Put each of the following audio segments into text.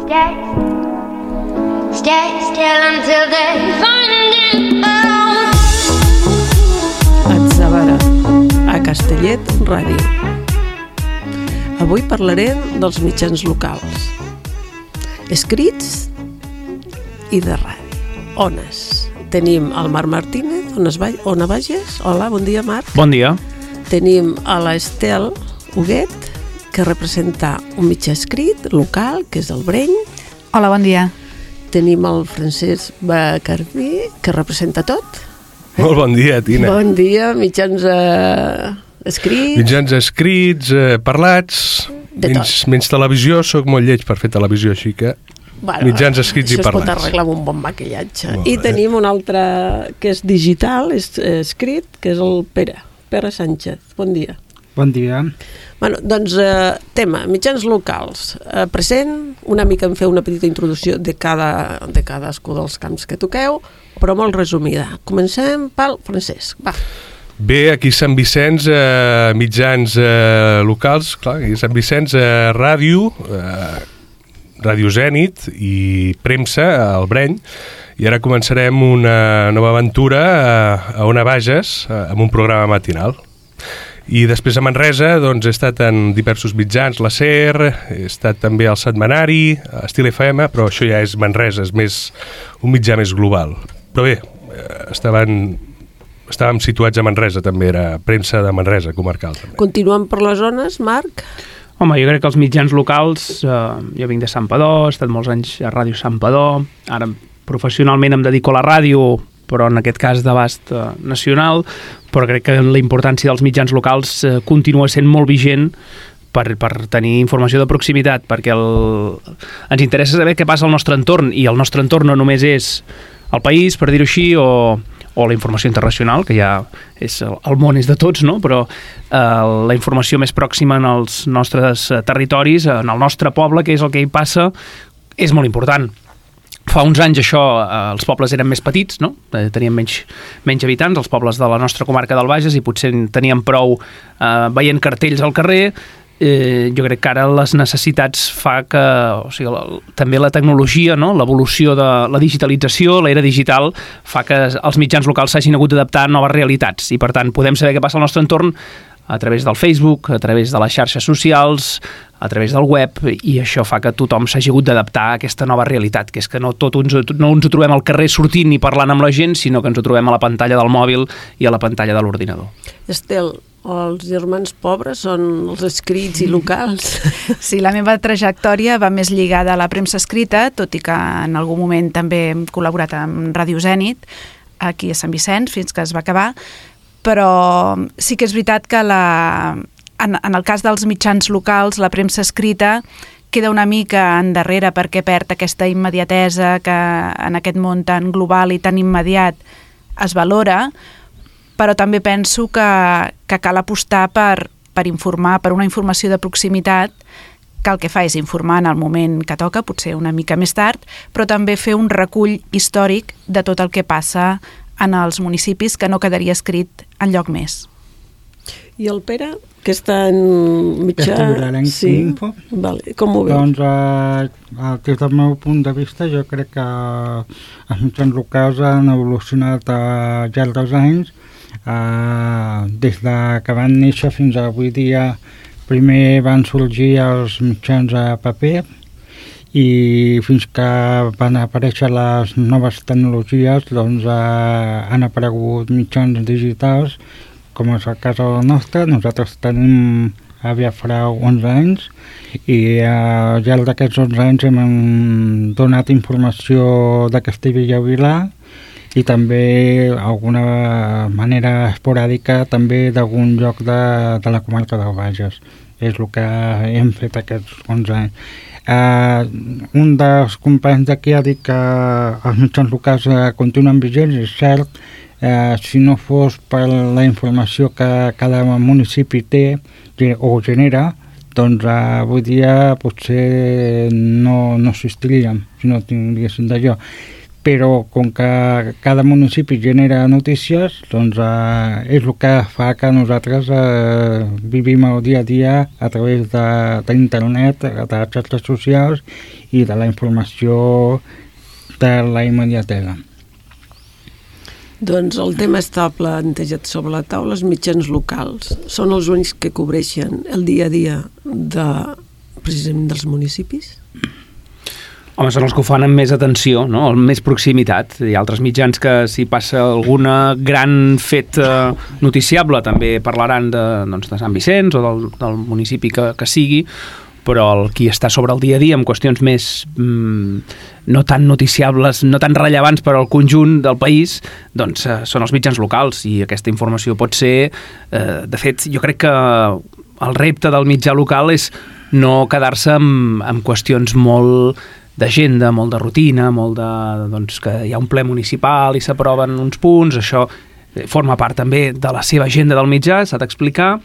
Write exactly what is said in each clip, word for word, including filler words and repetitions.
Stay, stay still until they find it out. Atzavara, a Castellet Ràdio. Avui parlarem dels mitjans locals, escrits i de ràdio. Ones. Tenim el Marc Martínez, Ona Bages. Hola, bon dia, Marc. Bon dia. Tenim a l'Estel Huguet, que representa un mitjà escrit local, que és el Breny. Hola, bon dia. Tenim el Francesc Bacardí, que representa tot. Molt bon dia, Tina. Bon dia, mitjans eh, escrits. Mitjans escrits, eh, parlats, menys, menys televisió, soc molt lleig per fer televisió, així que bueno, mitjans escrits i parlats. Això es pot arreglar amb un bon maquillatge. I tenim un altre que és digital, és eh, escrit, que és el Pere, Pere Sánchez. Bon dia. Bon dia. Bueno, doncs, eh, tema, mitjans locals. Eh, present, una mica en fer una petita introducció de, cada, de cadascú dels camps que toqueu, però molt resumida. Comencem pel Francesc, va. Bé, aquí a Sant Vicenç, eh, mitjans eh, locals, clar, aquí a Sant Vicenç, eh, ràdio, eh, Ràdio Zènit i premsa, al Breny, i ara començarem una nova aventura a, a Ona Bages, amb un programa matinal. I després a Manresa doncs, he estat en diversos mitjans, la SER, he estat també al Setmanari, a Estil F M, però això ja és Manresa, és més, un mitjà més global. Però bé, estaven, estàvem situats a Manresa, també era premsa de Manresa, comarcal. També. Continuem per les zones, Marc? Home, jo crec que els mitjans locals, eh, jo vinc de Santpedor, he estat molts anys a Ràdio Santpedor, ara professionalment em dedico a la ràdio, però en aquest cas d'abast eh, nacional, però crec que la importància dels mitjans locals eh, continua sent molt vigent per, per tenir informació de proximitat, perquè el, ens interessa saber què passa al nostre entorn, i el nostre entorn no només és el país, per dir-ho així, o, o la informació internacional, que ja és el, el món és de tots, no? Però eh, la informació més pròxima en els nostres territoris, en el nostre poble, que és el que hi passa, és molt important. Fa uns anys això, eh, els pobles eren més petits, no? Eh, tenien menys, menys habitants, els pobles de la nostra comarca del Bages, i potser tenien prou eh, veient cartells al carrer. Eh, jo crec que ara les necessitats fa que, o sigui, la, també la tecnologia, no? L'evolució de la digitalització, l'era digital, fa que els mitjans locals s'hagin hagut d'adaptar a noves realitats, i per tant podem saber què passa al nostre entorn a través del Facebook, a través de les xarxes socials, a través del web, i això fa que tothom s'hagi hagut d'adaptar a aquesta nova realitat, que és que no tot ens, no ens ho trobem al carrer sortint i parlant amb la gent, sinó que ens ho trobem a la pantalla del mòbil i a la pantalla de l'ordinador. Estel, els germans pobres són els escrits i locals? Sí, la meva trajectòria va més lligada a la premsa escrita, tot i que en algun moment també hem col·laborat amb Ràdio Zènit, aquí a Sant Vicenç, fins que es va acabar, però sí que és veritat que la, en, en el cas dels mitjans locals, la premsa escrita queda una mica endarrere perquè perd aquesta immediatesa que en aquest món tan global i tan immediat es valora, però també penso que, que cal apostar per, per informar, per una informació de proximitat, que el que fa és informar en el moment que toca, potser una mica més tard, però també fer un recull històric de tot el que passa en els municipis, que no quedaria escrit enlloc més. I el Pere, que està en mitjà... Sí. Info. Vale. Com ho veus? Doncs, eh, des del meu punt de vista, jo crec que els mitjans locals han evolucionat al llarg dels anys, eh, des de que van néixer fins a avui dia. Primer van sorgir els mitjans a paper, i fins que van aparèixer les noves tecnologies, doncs eh, han aparegut mitjans digitals, com és el cas nostre. Nosaltres tenim aviat farà onze anys, i eh, al llarg d'aquests onze anys hem donat informació de Castellbell i Vilar, i també alguna manera esporàdica també d'algun lloc de, de la comarca del Bages. És el que hem fet aquests onze anys. Uh, un dels companys d'aquí ha dit que els mitjans locals uh, continuen vigents, és cert. Uh, si no fos per la informació que cada municipi té o genera, doncs uh, avui dia potser no, no existiríem si no tinguéssim d'allò. però com que cada municipi genera notícies, doncs eh, és el que fa que nosaltres eh, vivim el dia a dia a través d'internet, de, de les xarxes socials i de la informació de la immediatesa. Doncs el tema està plantejat sobre la taula, els mitjans locals. Són els únics que cobreixen el dia a dia de, precisament dels municipis? Home, són els que ho fan amb més atenció, no? Amb més proximitat. Hi ha altres mitjans que si passa alguna gran fet eh, noticiable també parlaran de, doncs, de Sant Vicenç o del, del municipi que, que sigui, però el qui està sobre el dia a dia amb qüestions més mm, no tan noticiables, no tan rellevants per al conjunt del país, doncs eh, són els mitjans locals, i aquesta informació pot ser... Eh, de fet, jo crec que el repte del mitjà local és no quedar-se amb, amb qüestions molt d'agenda, molt de rutina, molt de... doncs que hi ha un ple municipal i s'aproven uns punts, això forma part també de la seva agenda del mitjà, s'ha d'explicar,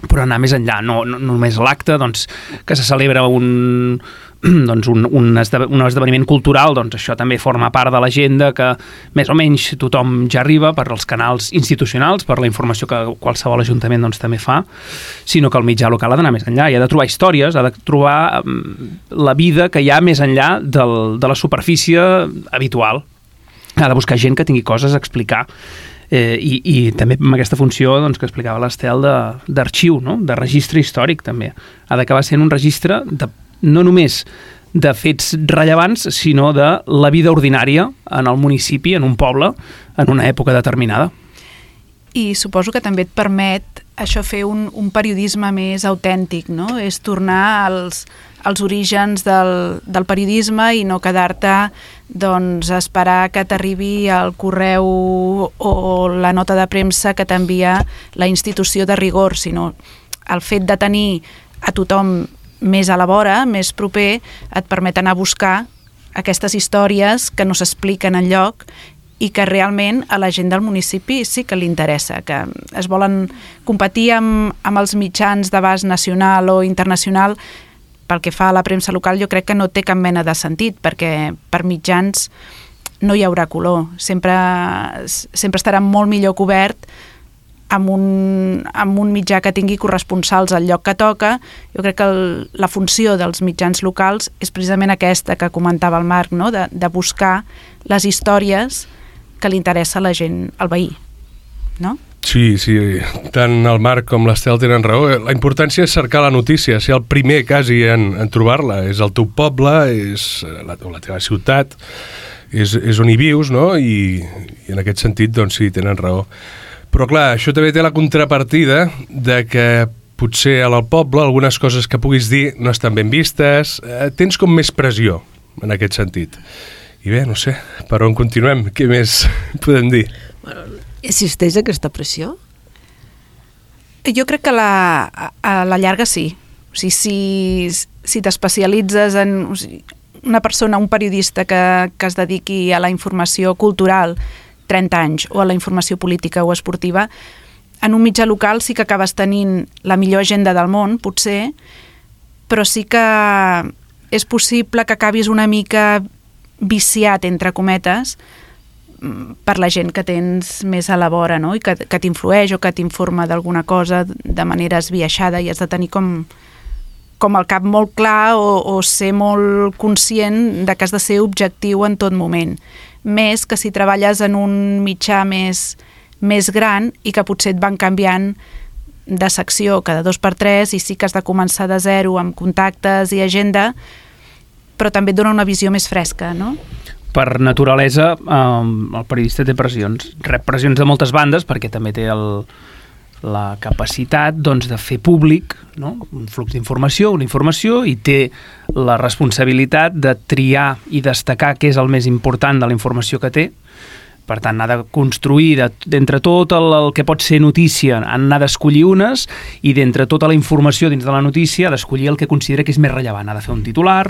però anar més enllà, no, no només l'acte, doncs, que se celebra un, doncs, un, un, esde, un esdeveniment cultural, doncs això també forma part de l'agenda que més o menys tothom ja arriba per als canals institucionals, per la informació que qualsevol ajuntament doncs, també fa, sinó que el mitjà local ha d'anar més enllà, i ha de trobar històries, ha de trobar la vida que hi ha més enllà del, de la superfície habitual. Ha de buscar gent que tingui coses a explicar. Eh, i, i també amb aquesta funció doncs, que explicava l'Estel d'arxiu, no? De registre històric també. Ha d'acabar sent un registre de, no només de fets rellevants, sinó de la vida ordinària en el municipi, en un poble, en una època determinada. I suposo que també et permet això fer un, un periodisme més autèntic, no? És tornar als, als orígens del, del periodisme i no quedar-te doncs, a esperar que t'arribi el correu o la nota de premsa que t'envia la institució de rigor, sinó el fet de tenir a tothom més a la vora, més proper, et permet anar a buscar aquestes històries que no s'expliquen enlloc i que realment a la gent del municipi sí que li interessa, que es volen competir amb, amb els mitjans d'abast nacional o internacional. Pel que fa a la premsa local, jo crec que no té cap mena de sentit, perquè per mitjans no hi haurà color. Sempre, sempre estarà molt millor cobert amb un, amb un mitjà que tingui corresponsals al lloc que toca. Jo crec que el, la funció dels mitjans locals és precisament aquesta que comentava el Marc, no? de, de buscar les històries que li interessa a la gent, al veí, no? Sí, sí, tant el Marc com l'Estel tenen raó. La importància és cercar la notícia, ser el primer quasi en, en trobar-la. És el teu poble, és la, la teva ciutat, és, és on hi vius, no? I, i en aquest sentit, doncs sí, tenen raó. Però clar, això també té la contrapartida de que potser al poble algunes coses que puguis dir no estan ben vistes, eh, tens com més pressió en aquest sentit. I bé, no sé, per on continuem? Què més podem dir? Bueno, existeix aquesta pressió? Jo crec que la, a, a la llarga sí. O sigui, si, si t'especialitzes en o sigui, una persona, un periodista que, que es dediqui a la informació cultural trenta anys o a la informació política o esportiva, en un mitjà local sí que acabes tenint la millor agenda del món, potser, però sí que és possible que acabis una mica viciat, entre cometes, per la gent que tens més a la vora, no? I que, que t'influeix o que t'informa d'alguna cosa de manera esbiaixada, i has de tenir com, com el cap molt clar o, o ser molt conscient de que has de ser objectiu en tot moment. Més que si treballes en un mitjà més, més gran i que potser et van canviant de secció cada dos per tres i sí que has de començar de zero amb contactes i agenda, però també et dona una visió més fresca, no? Per naturalesa, eh, el periodista té pressions. Rep pressions de moltes bandes perquè també té el, la capacitat doncs, de fer públic, no? Un flux d'informació, una informació, i té la responsabilitat de triar i destacar què és el més important de la informació que té. Per tant, ha de construir d'entre tot el, el que pot ser notícia, n'ha d'escollir unes, i d'entre tota la informació dins de la notícia ha d'escollir el que considera que és més rellevant. Ha de fer un titular,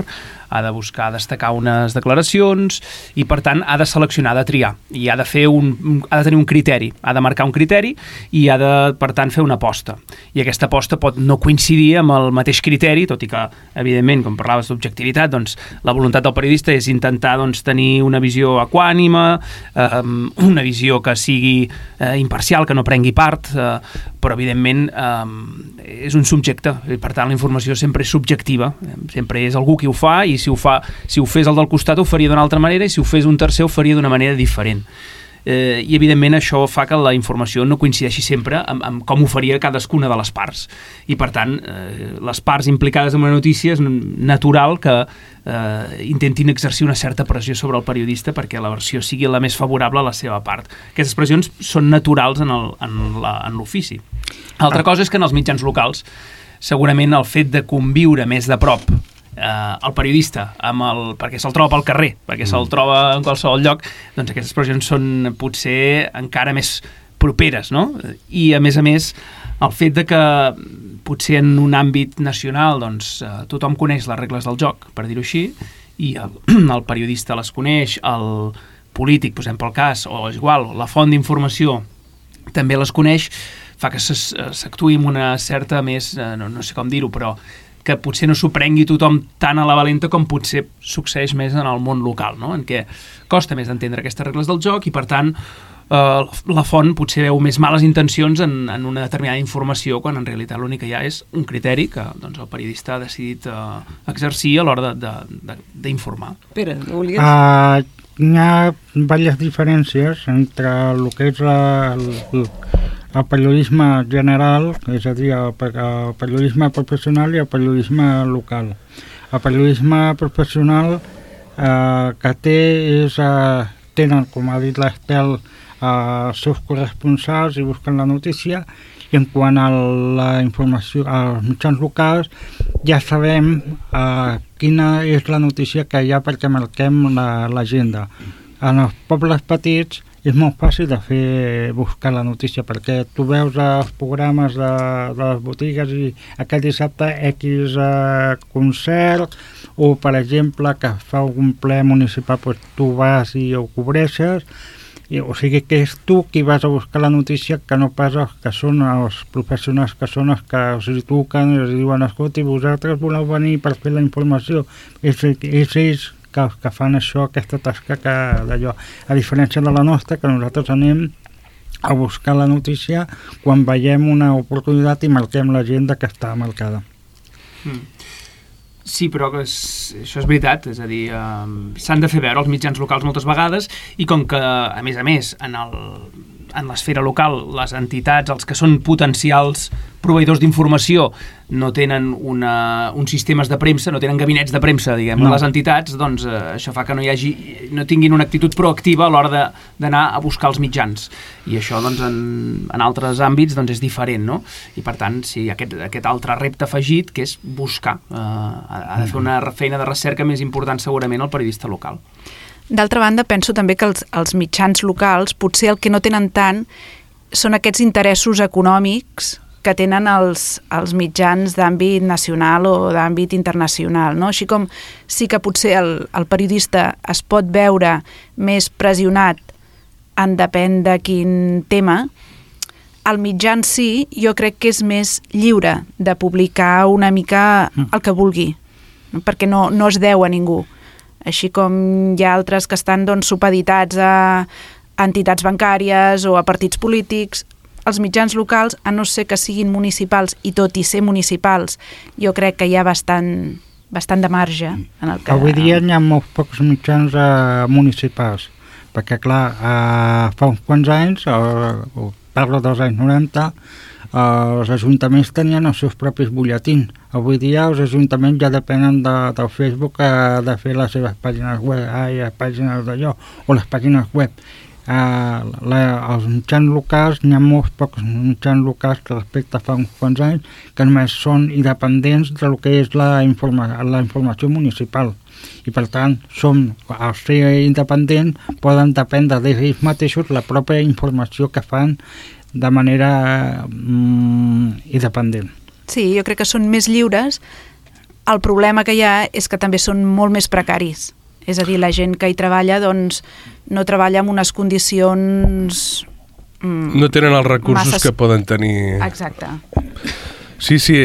ha de buscar destacar unes declaracions i, per tant, ha de seleccionar, ha de triar i ha de fer un, ha de tenir un criteri, ha de marcar un criteri i ha de, per tant, fer una aposta. I aquesta aposta pot no coincidir amb el mateix criteri, tot i que, evidentment, com parlaves d'objectivitat, doncs la voluntat del periodista és intentar doncs, tenir una visió equànime, eh, una visió que sigui eh, imparcial, que no prengui part, eh, però, evidentment, eh, és un subjecte. I, per tant, la informació sempre és subjectiva, sempre és algú qui ho fa i si ho, fa, si ho fes el del costat ho faria d'una altra manera i si ho fes un tercer ho faria d'una manera diferent. Eh, I, evidentment, això fa que la informació no coincideixi sempre amb, amb com ho faria cadascuna de les parts. I, per tant, eh, les parts implicades en una notícia és natural que eh, intentin exercir una certa pressió sobre el periodista perquè la versió sigui la més favorable a la seva part. Aquestes pressions són naturals en el, en la, en l'ofici. Altra cosa és que en els mitjans locals segurament el fet de conviure més de prop eh, el periodista amb el, perquè se'l troba pel carrer, perquè se'l troba en qualsevol lloc, doncs aquestes expressions són potser encara més properes, no? I a més a més el fet de que potser en un àmbit nacional doncs, eh, tothom coneix les regles del joc, per dir-ho així, i el, el periodista les coneix, el polític, posem pel cas, o és igual, la font d'informació també les coneix, fa que s'actuï amb una certa més, no, no sé com dir-ho, però que potser no s'ho prengui tothom tan a la valenta com potser succeeix més en el món local, no? En què costa més d'entendre aquestes regles del joc i, per tant, eh, la font potser veu més males intencions en, en una determinada informació quan en realitat l'únic que hi ha és un criteri que doncs, el periodista ha decidit eh, exercir a l'hora d'informar. Pere, no volies? Uh, hi ha diverses diferències entre el que és el, el el periodisme general, és a dir, el, el periodisme professional i el periodisme local. El periodisme professional eh, que té és, eh, tenen, com ha dit l'Estel, eh, els seus corresponsals i busquen la notícia, i en quant a la informació als mitjans locals ja sabem eh, quina és la notícia que hi ha perquè marquem l'agenda. En els pobles petits és molt fàcil de fer buscar la notícia perquè tu veus els programes de, de les botigues i aquest dissabte X eh, concert o per exemple que fa un ple municipal doncs tu vas i ho cobreixes i, o sigui que és tu qui vas a buscar la notícia que no pas els que són els professionals que són els que us hi truquen i us diuen escolta i vosaltres voleu venir per fer la informació és, és ells que, que fan això, aquesta tasca que d'allò, a diferència de la nostra, que nosaltres anem a buscar la notícia quan veiem una oportunitat i marquem l'agenda que està marcada. Mm. Sí, però és, això és veritat, és a dir, eh, s'han de fer veure els mitjans locals moltes vegades i com que, a més a més, en el en l'esfera local, les entitats, els que són potencials proveïdors d'informació, no tenen una, uns sistemes de premsa, no tenen gabinets de premsa, diguem, no. Les entitats, doncs eh, això fa que no hi hagi, no tinguin una actitud proactiva a l'hora d'anar a buscar els mitjans. I això, doncs, en, en altres àmbits, doncs, és diferent, no? I, per tant, sí, aquest, aquest altre repte afegit, que és buscar. Eh, ha de fer una feina de recerca més important, segurament, el periodista local. D'altra banda, penso també que els, els mitjans locals potser el que no tenen tant són aquests interessos econòmics que tenen els, els mitjans d'àmbit nacional o d'àmbit internacional, no? Així com sí que potser el, el periodista es pot veure més pressionat en depèn de quin tema, el mitjà en si jo crec que és més lliure de publicar una mica el que vulgui, no? Perquè no, no es deu a ningú. Així com hi ha altres que estan doncs, supeditats a entitats bancàries o a partits polítics, els mitjans locals, a no ser que siguin municipals i tot i ser municipals, jo crec que hi ha bastant, bastant de marge. En el que... Avui dia hi ha molts pocs mitjans eh, municipals, perquè clar, eh, fa uns quants anys, eh, parlo dels anys noranta, eh, els ajuntaments tenien els seus propis butlletins. Avui dia els ajuntaments ja depenen de, del Facebook eh, de fer les seves pàgines web, ai, les pàgines d'allò, o les pàgines web. Uh, la, els mitjans locals, n'hi ha molts pocs mitjans locals que respecte a fa uns quants anys que només són independents del que és la, informa la informació municipal i per tant som, al ser independents poden dependre d'ells mateixos la pròpia informació que fan de manera mm, independent. Sí, jo crec que són més lliures el problema que hi ha és que també són molt més precaris. És a dir, la gent que hi treballa doncs, no treballa en unes condicions... Mm, no tenen els recursos masses... que poden tenir... Exacte. Sí, sí,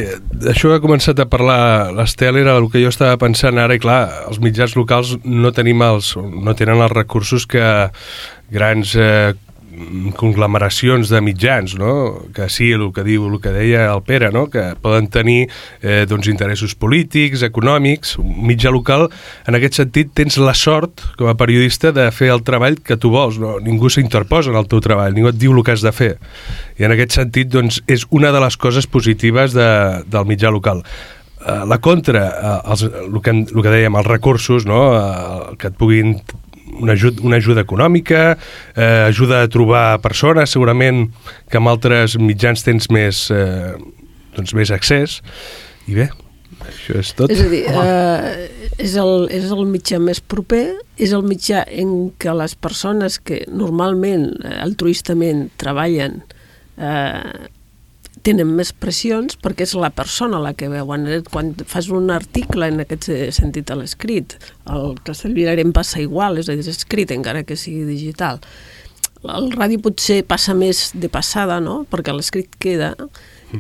això que ha començat a parlar l'Estel era el que jo estava pensant ara, i clar, els mitjans locals no tenim els, no tenen els recursos que grans eh, conglomeracions de mitjans, no? Que sí, el que diu, el que deia el Pere, no? Que poden tenir eh, doncs, interessos polítics, econòmics. Un mitjà local, en aquest sentit, tens la sort, com a periodista, de fer el treball que tu vols, no? Ningú s'interposa en el teu treball, ningú et diu el que has de fer. I en aquest sentit, doncs, és una de les coses positives de, del mitjà local. Uh, la contra, uh, els, el, que, el que dèiem, els recursos, no? Uh, que et puguin una ajuda, una ajuda econòmica, eh, ajuda a trobar persones, segurament que amb altres mitjans tens més, eh, doncs més accés, i bé, això és tot. És a dir, eh, és, el, és el mitjà més proper, és el mitjà en què les persones que normalment, altruistament, treballen eh, tenen més pressions perquè és la persona la que veuen. Quan fas un article en aquest sentit a l'escrit, el Castellvirarem passa igual, és a dir, és escrit encara que sigui digital. El ràdio potser passa més de passada, no? Perquè l'escrit queda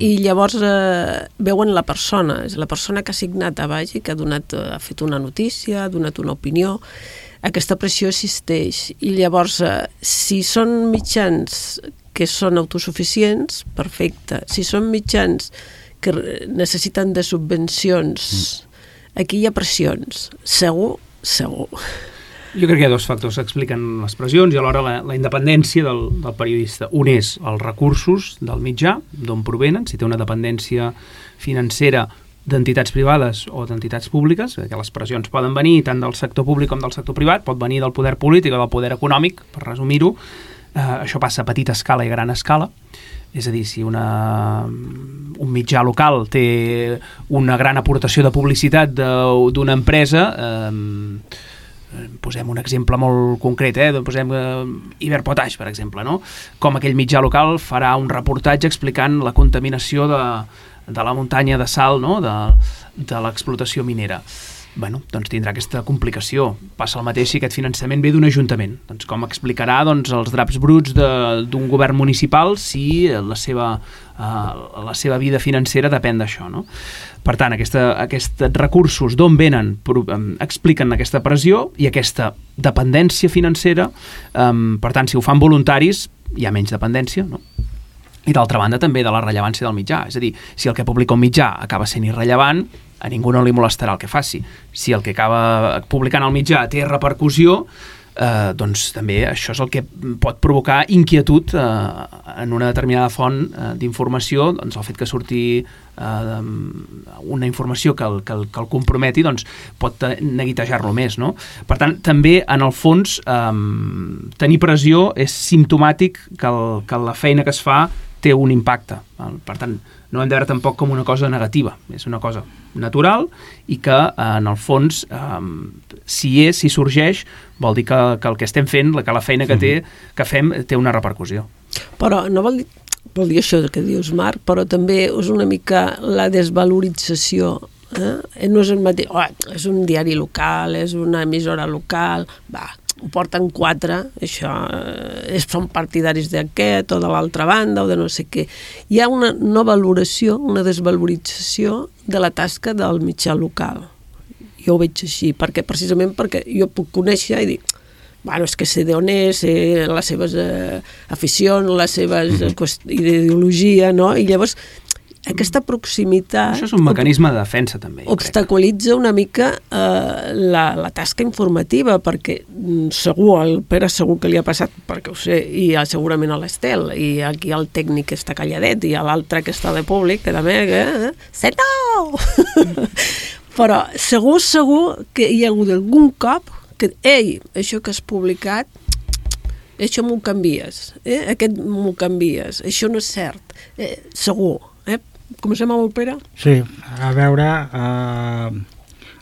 i llavors eh, veuen la persona, és la persona que ha signat a baix i que ha, donat, ha fet una notícia, ha donat una opinió. Aquesta pressió existeix i llavors eh, si són mitjans que són autosuficients, perfecte. Si són mitjans que necessiten de subvencions, aquí hi ha pressions. Segur, segur. Jo crec que hi ha dos factors que expliquen les pressions i alhora la, la independència del, del periodista. Un és els recursos del mitjà, d'on provenen, si té una dependència financera d'entitats privades o d'entitats públiques, que les pressions poden venir tant del sector públic com del sector privat, pot venir del poder polític o del poder econòmic, per resumir-ho. Uh, això passa a petita escala i a gran escala, és a dir, si una, un mitjà local té una gran aportació de publicitat d'una empresa, eh, posem un exemple molt concret, eh, posem eh, Iberpotash, per exemple, no? Com aquell mitjà local farà un reportatge explicant la contaminació de, de la muntanya de sal, no? de, de l'explotació minera. Bueno, doncs tindrà aquesta complicació. Passa el mateix si aquest finançament ve d'un ajuntament. Doncs com explicarà doncs, els draps bruts d'un govern municipal si la seva, uh, la seva vida financera depèn d'això, no? Per tant, aquesta, aquests recursos d'on venen um, expliquen aquesta pressió i aquesta dependència financera. Um, per tant, si ho fan voluntaris, hi ha menys dependència, no? I d'altra banda també de la rellevància del mitjà. És a dir, si el que publica un mitjà acaba sent irrellevant, a ningú no li molestarà el que faci. Si el que acaba publicant el mitjà té repercussió, eh, doncs també això és el que pot provocar inquietud eh, en una determinada font eh, d'informació, doncs el fet que surti eh, una informació que el, que el, que el comprometi doncs pot neguitejar-lo més, no? Per tant, també en el fons eh, tenir pressió és simptomàtic que, el, que la feina que es fa té un impacte. Per tant, no hem de veure tampoc com una cosa negativa, és una cosa natural i que en el fons eh, si és, si sorgeix, vol dir que, que el que estem fent, que la feina que té, que fem té una repercussió. Però no vol dir, vol dir això que dius, Marc, però també és una mica la desvalorització. Eh? No és el mateix, oh, és un diari local, és una emissora local, va, ho porten quatre, això, eh, són partidaris d'aquest o de l'altra banda o de no sé què. Hi ha una no valoració, una desvalorització de la tasca del mitjà local. Jo ho veig així, perquè, precisament perquè jo puc conèixer i dir, bueno, és que sé d'on és, sé les seves eh, aficions, les seves mm-hmm. ideologia, no? I llavors aquesta proximitat... Això és un mecanisme de defensa, també. Obstaculitza una mica eh, la, la tasca informativa, perquè segur, el Pere segur que li ha passat, perquè ho sé, i segurament a l'Estel, i aquí el tècnic que està calladet, i l'altre que està de públic, que també... Eh, Setó! Però segur, segur que hi ha hagut algun cop que, ei, això que has publicat, això m'ho canvies, eh? Aquest m'ho canvies, això no és cert, eh, segur, eh? Comencem amb el Pere? Sí, a veure, eh,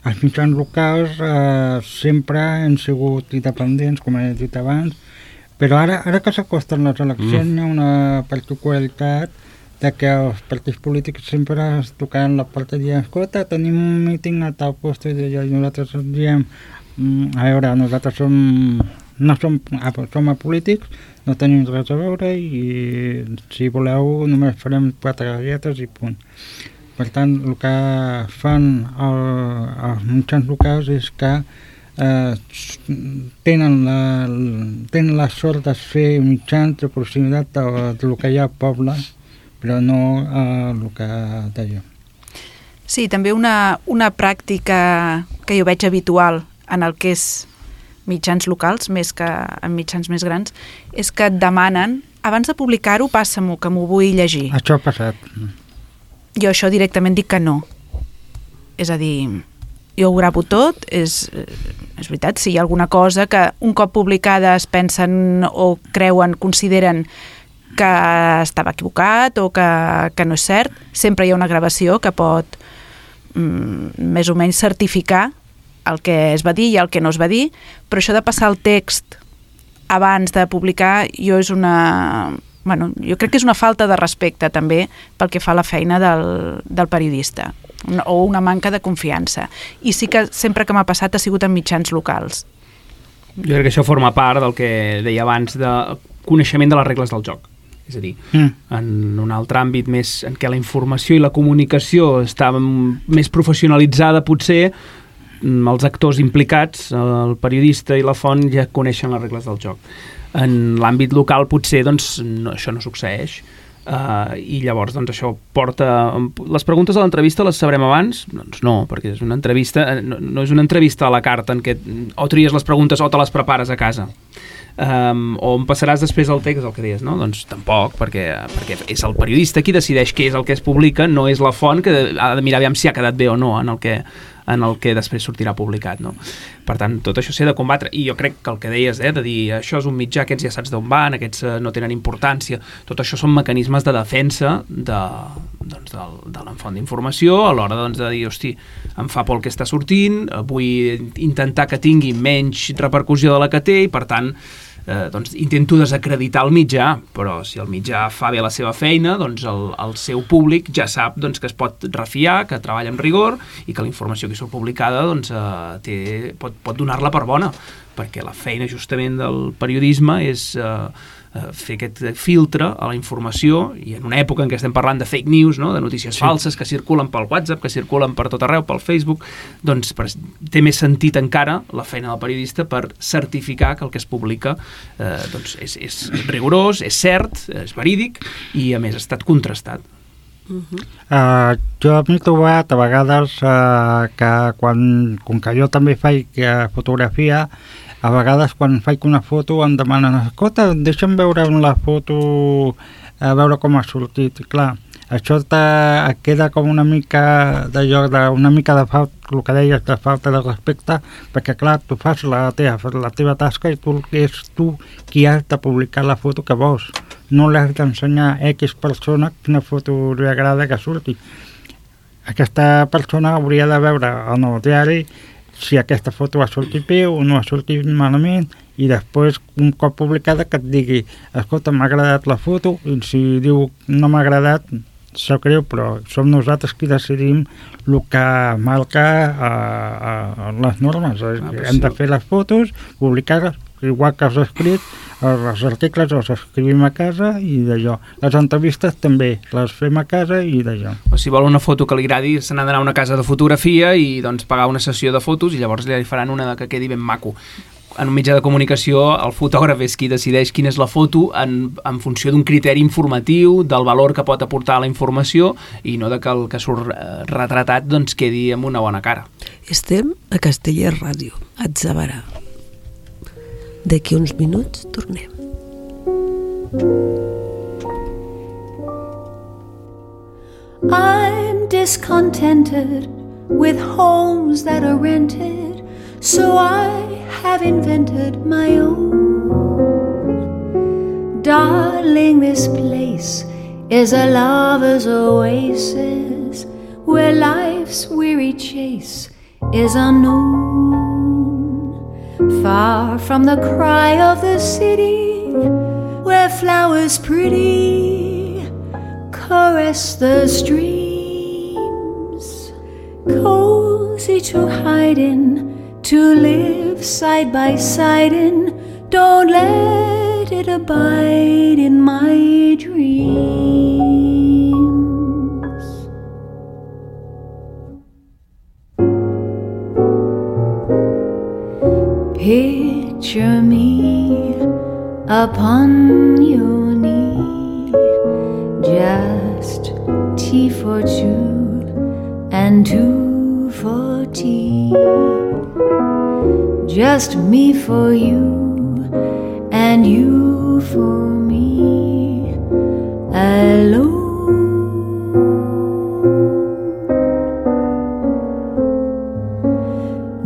els mitjans locals eh, sempre han sigut independents, com he dit abans, però ara, ara que s'acosten les eleccions mm. hi ha una particularitat de que els partits polítics sempre es tocaran la porta i diuen, escolta, tenim un míting a tal lloc i nosaltres diem, a veure, nosaltres som, no som, som apolítics, no tenim res a veure i si voleu només farem quatre galletes i punt. Per tant, el que fan el, els mitjans locals és que eh, tenen, la, tenen la sort de ser mitjans de proximitat del, del que hi ha al poble, però no eh, el que deia. Sí, també una, una pràctica que jo veig habitual en el que és mitjans locals, més que en mitjans més grans, és que et demanen, abans de publicar-ho, passa-m'ho, que m'ho vull llegir. Això ha passat. Jo això directament dic que no. És a dir, jo ho gravo tot, és, és veritat, si hi ha alguna cosa que un cop publicada es pensen o creuen, consideren que estava equivocat o que, que no és cert, sempre hi ha una gravació que pot mm, més o menys certificar el que es va dir i el que no es va dir, però això de passar el text abans de publicar jo és una... Bueno, jo crec que és una falta de respecte també pel que fa a la feina del, del periodista una, o una manca de confiança, i sí que sempre que m'ha passat ha sigut en mitjans locals. Jo crec que això forma part del que deia abans de coneixement de les regles del joc, és a dir, mm. en un altre àmbit més en què la informació i la comunicació està més professionalitzada, potser els actors implicats, el periodista i la font, ja coneixen les regles del joc. En l'àmbit local potser doncs, no, això no succeeix uh, i llavors doncs, això porta... Les preguntes de l'entrevista les sabrem abans? Doncs no, perquè és una entrevista, no, no és una entrevista a la carta en què o tries les preguntes o te les prepares a casa. Um, o em passaràs després el text, el que deies, no? Doncs tampoc, perquè, perquè és el periodista qui decideix què és el que es publica, no és la font que ha de mirar aviam si ha quedat bé o no en el que, en el que després sortirà publicat, no? Per tant, tot això s'ha de combatre, i jo crec que el que deies, eh, de dir això és un mitjà, aquests ja saps d'on van, aquests eh, no tenen importància, tot això són mecanismes de defensa de, doncs, de, de la font d'informació a l'hora doncs, de dir, hosti, em fa por el que està sortint, vull intentar que tingui menys repercussió de la que té i per tant eh, doncs, intento desacreditar el mitjà, però si el mitjà fa bé la seva feina, doncs el, el seu públic ja sap doncs, que es pot refiar, que treballa amb rigor i que la informació que surt publicada doncs, eh, té, pot, pot donar-la per bona, perquè la feina justament del periodisme és eh, fer aquest filtre a la informació, i en una època en què estem parlant de fake news, no? De notícies sí. falses que circulen pel WhatsApp, que circulen per tot arreu, pel Facebook, doncs per, té més sentit encara la feina del periodista per certificar que el que es publica eh, doncs és, és rigorós, és cert, és verídic i a més ha estat contrastat. Uh-huh. Uh, jo m'he trobat a vegades uh, que quan, com que jo també faig uh, fotografia, a vegades quan faig una foto em demanen, escolta, deixa'm veure la foto, a veure com ha sortit. I clar, això te, et queda com una mica de lloc, de, una mica de falta, el que deies, de falta de respecte, perquè clar, tu fas la teva, la teva tasca i tu és tu qui has de publicar la foto que vols. No l'has d'ensenyar a X persona quina foto li agrada que surti. Aquesta persona hauria de veure en el diari si aquesta foto ha sortit bé o no ha sortit malament, i després, un cop publicada, que et digui, escolta, m'ha agradat la foto, i si diu no m'ha agradat, sap greu, però som nosaltres qui decidim el que marca a, a, a les normes. Ah, hem sí. de fer les fotos, publicar-les, igual que els escrits, els articles els escrivim a casa i d'allò. Les entrevistes també les fem a casa i d'allò. O si vol una foto que li agradi, se n'ha d'anar a una casa de fotografia i doncs pagar una sessió de fotos i llavors li faran una que quedi ben maco. En un mitjà de comunicació el fotògraf és qui decideix quina és la foto en, en funció d'un criteri informatiu, del valor que pot aportar a la informació i no de que el que surt retratat doncs quedi amb una bona cara. Estem a Castellet Ràdio, a Atzabarà. D'aquí uns minuts tornem. I'm discontented with homes that are rented, so I have invented my own. Darling, this place is a lover's oasis where life's weary chase is unknown. Far from the cry of the city, where flowers pretty caress the streams, cozy to hide in, to live side by side in. Don't let it abide in my dreams. Picture me upon your knee, just tea for two and two for tea, just me for you and you for me alone.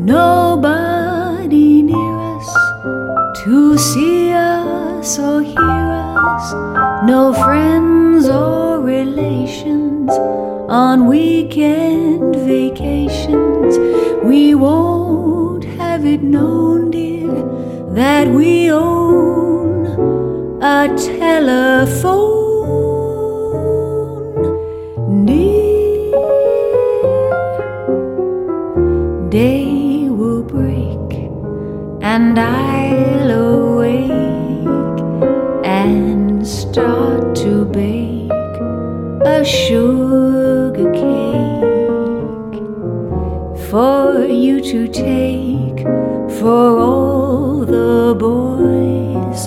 Nobody near us to see us or hear us, no friends or relations on weekend vacations. We won't have it known, dear, that we own a telephone. Dear, day will break and I'll awake and start to bake a sugar cake for you to take, for all the boys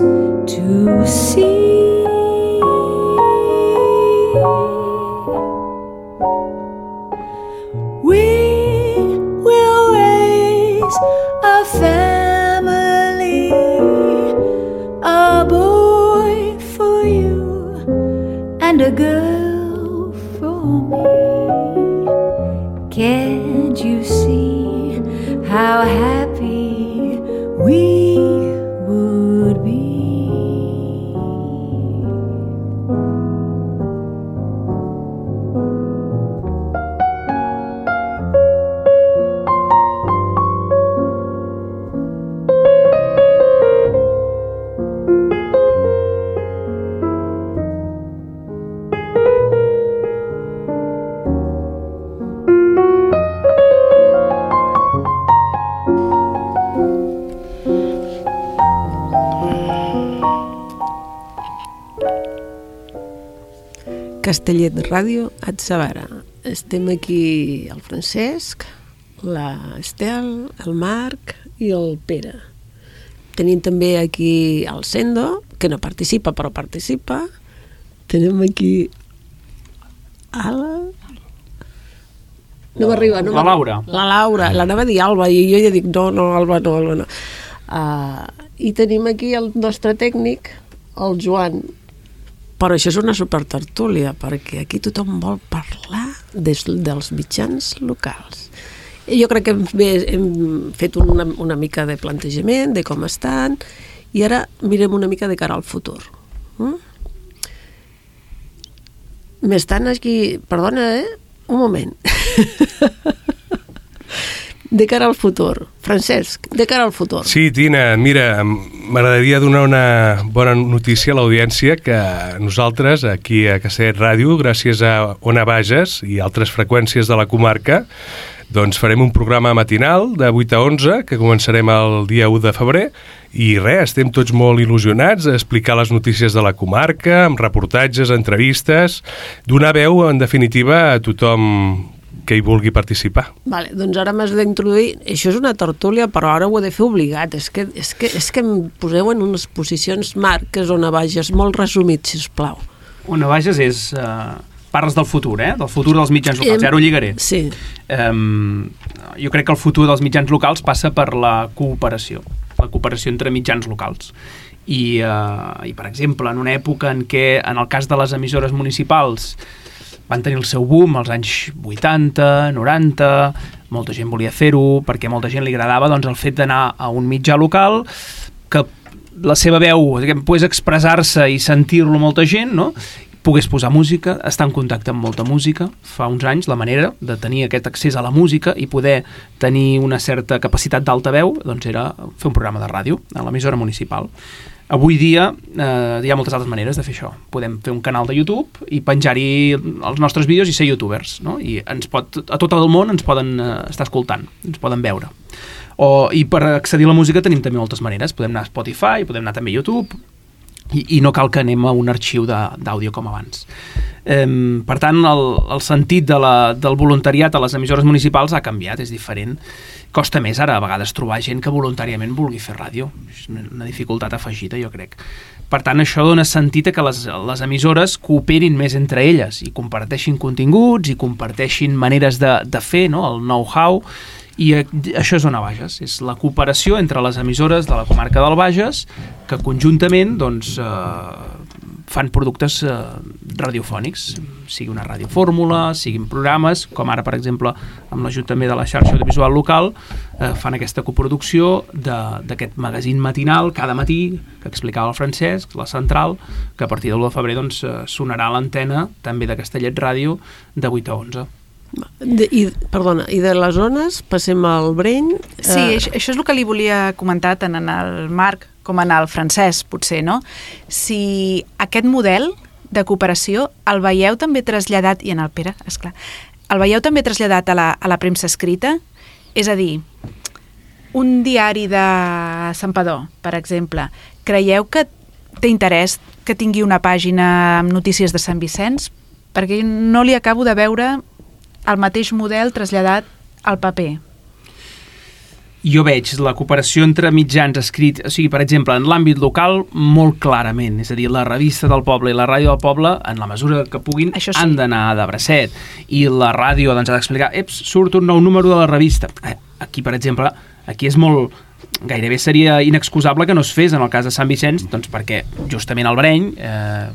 to see. We will raise a family, a boy for you and a girl for me. Can't you see how happy we would be? Castellet Ràdio, Atzavara. Estem aquí el Francesc, l'Estel, el Marc i el Pere. Tenim també aquí el Sendo, que no participa però participa. Tenim aquí Ala... No m'arriba, no La Laura. La Laura, l'anava a dir Alba i jo ja dic no, no, Alba no, Alba no. Uh, I tenim aquí el nostre tècnic, el Joan. Però això és una supertertúlia, perquè aquí tothom vol parlar des, dels mitjans locals. I jo crec que hem, hem fet una, una mica de plantejament de com estan, i ara mirem una mica de cara al futur. Mm? M'estan aquí... Perdona, eh? Un moment. De cara al futur. Francesc, de cara al futur. Sí, Tina, mira, m'agradaria donar una bona notícia a l'audiència que nosaltres, aquí a Castellet Ràdio, gràcies a Ona Bages i altres freqüències de la comarca, doncs farem un programa matinal de vuit a onze, que començarem el dia u de febrer, i res, estem tots molt il·lusionats a explicar les notícies de la comarca, amb reportatges, entrevistes, donar veu, en definitiva, a tothom que hi vulgui participar. Vale, doncs ara m'has d'introduir... Això és una tertúlia, però ara ho he de fer obligat. És que, és que, és que em poseu en unes posicions marques on Bages, molt resumit, sisplau. Ona Bages és... Uh, parles del futur, eh? Del futur dels mitjans locals. Ara ho lligaré. Sí. Um, jo crec que el futur dels mitjans locals passa per la cooperació. La cooperació entre mitjans locals. I, uh, i per exemple, en una època en què, en el cas de les emissores municipals, van tenir el seu boom als anys vuitanta, noranta, molta gent volia fer-ho, perquè molta gent li agradava doncs, el fet d'anar a un mitjà local que la seva veu diguem, pogués expressar-se i sentir-lo molta gent, no? Pogués posar música, estar en contacte amb molta música. Fa uns anys la manera de tenir aquest accés a la música i poder tenir una certa capacitat d'alta veu doncs era fer un programa de ràdio a l'emissora municipal. Avui dia eh, hi ha moltes altres maneres de fer això. Podem fer un canal de YouTube i penjar-hi els nostres vídeos i ser youtubers, no? I ens pot, a tot el món ens poden eh, estar escoltant, ens poden veure. O, I per accedir a la música tenim també moltes maneres. Podem anar a Spotify, podem anar també a YouTube, i, i no cal que anem a un arxiu d'àudio com abans. Eh, per tant, el, el sentit de la, del voluntariat a les emissores municipals ha canviat, és diferent. Costa més ara a vegades trobar gent que voluntàriament vulgui fer ràdio. És una dificultat afegida, jo crec. Per tant, això dona sentit a que les, les emissores cooperin més entre elles i comparteixin continguts i comparteixin maneres de, de fer, no? El know-how, i això és Ona Bages, és la cooperació entre les emissores de la comarca del Bages que conjuntament doncs, eh, fan productes eh, radiofònics, sigui una radiofórmula, siguin programes, com ara, per exemple, amb l'ajut també de la xarxa audiovisual local, eh, fan aquesta coproducció d'aquest magazín matinal cada matí, que explicava el Francesc, la Central, que a partir de l'u de febrer doncs, sonarà a l'antena també de Castellet Ràdio de vuit a onze. De, i, perdona, i de les zones passem al Breny. Sí, eh... això, això és el que li volia comentar tant en el Marc com en el Francesc, potser, no? Si aquest model de cooperació el veieu també traslladat, i en el Pere, esclar, el veieu també traslladat a la, a la premsa escrita? És a dir, un diari de Santpedor, per exemple, creieu que té interès que tingui una pàgina amb notícies de Sant Vicenç? Perquè no li acabo de veure el mateix model traslladat al paper. Jo veig la cooperació entre mitjans escrits, o sigui, per exemple, en l'àmbit local, molt clarament, és a dir, la revista del poble i la ràdio del poble, en la mesura que puguin, sí, han d'anar de bracet, i la ràdio doncs, ha d'explicar, eps, surt un nou número de la revista. Aquí, per exemple, aquí és molt... Gairebé seria inexcusable que no es fes en el cas de Sant Vicenç, doncs perquè justament el Breny eh,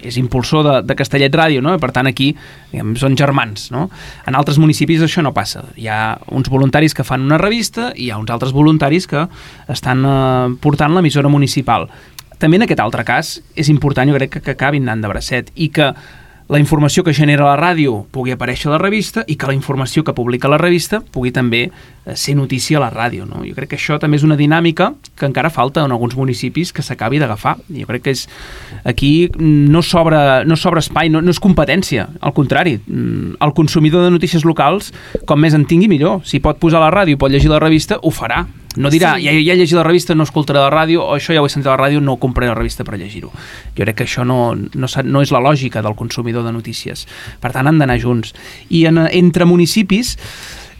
és impulsor de, de Castellet Ràdio, no? Per tant aquí diguem, són germans, no? En altres municipis això no passa. Hi ha uns voluntaris que fan una revista i hi ha uns altres voluntaris que estan eh, portant l'emissora municipal. També en aquest altre cas és important, jo crec, que, que acabin anant de bracet i que la informació que genera la ràdio pugui aparèixer a la revista i que la informació que publica la revista pugui també ser notícia a la ràdio, no? Jo crec que això també és una dinàmica que encara falta en alguns municipis que s'acabi d'agafar. Jo crec que és, aquí no sobra, no sobra espai, no, no és competència, al contrari. El consumidor de notícies locals, com més en tingui millor. Si pot posar la ràdio i pot llegir la revista, ho farà. No dirà, sí. ja, ja he llegit la revista, no escoltaré la ràdio, o això ja ho he sentit a la ràdio, no compraré la revista per llegir-ho. Jo crec que això no, no, no és la lògica del consumidor de notícies. Per tant, han d'anar junts. I en, entre municipis,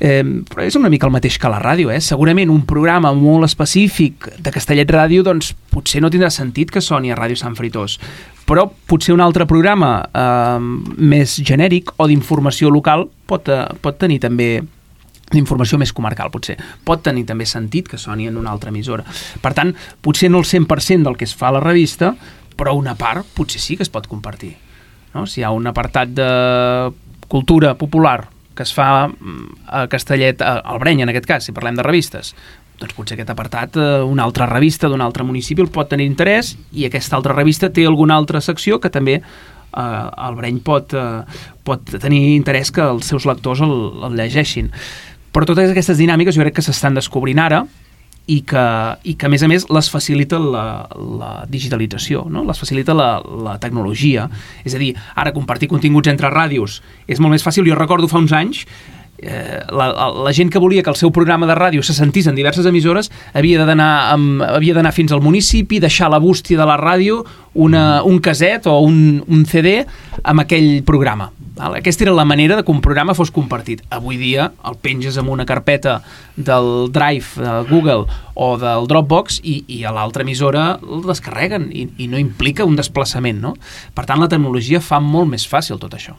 eh, és una mica el mateix que la ràdio, eh? Segurament un programa molt específic de Castellet Ràdio, doncs potser no tindrà sentit que soni a Ràdio Sant Fritós, però potser un altre programa eh, més genèric o d'informació local pot, eh, pot tenir també d'informació més comarcal, potser. Pot tenir també sentit que soni en una altra emissora. Per tant, potser no el cent per cent del que es fa a la revista, però una part potser sí que es pot compartir. No? Si hi ha un apartat de cultura popular que es fa a Castellet, al Breny, en aquest cas, si parlem de revistes, doncs potser aquest apartat, una altra revista d'un altre municipi el pot tenir interès i aquesta altra revista té alguna altra secció que també eh, el Breny pot, eh, pot tenir interès que els seus lectors el, el llegeixin. Però totes aquestes dinàmiques jo crec que s'estan descobrint ara i que, i que a més a més les facilita la, la digitalització, no? Les facilita la, la tecnologia. És a dir, ara compartir continguts entre ràdios és molt més fàcil. Jo recordo fa uns anys eh, la, la gent que volia que el seu programa de ràdio se sentís en diverses emissores havia d'anar havia d'anar fins al municipi, deixar a la bústia de la ràdio una, un caset o un, un C D amb aquell programa. Aquesta era la manera de que un programa fos compartit. Avui dia el penges en una carpeta del Drive de Google o del Dropbox i, i a l'altra emissora el descarreguen i, i no implica un desplaçament, no? Per tant, la tecnologia fa molt més fàcil tot això.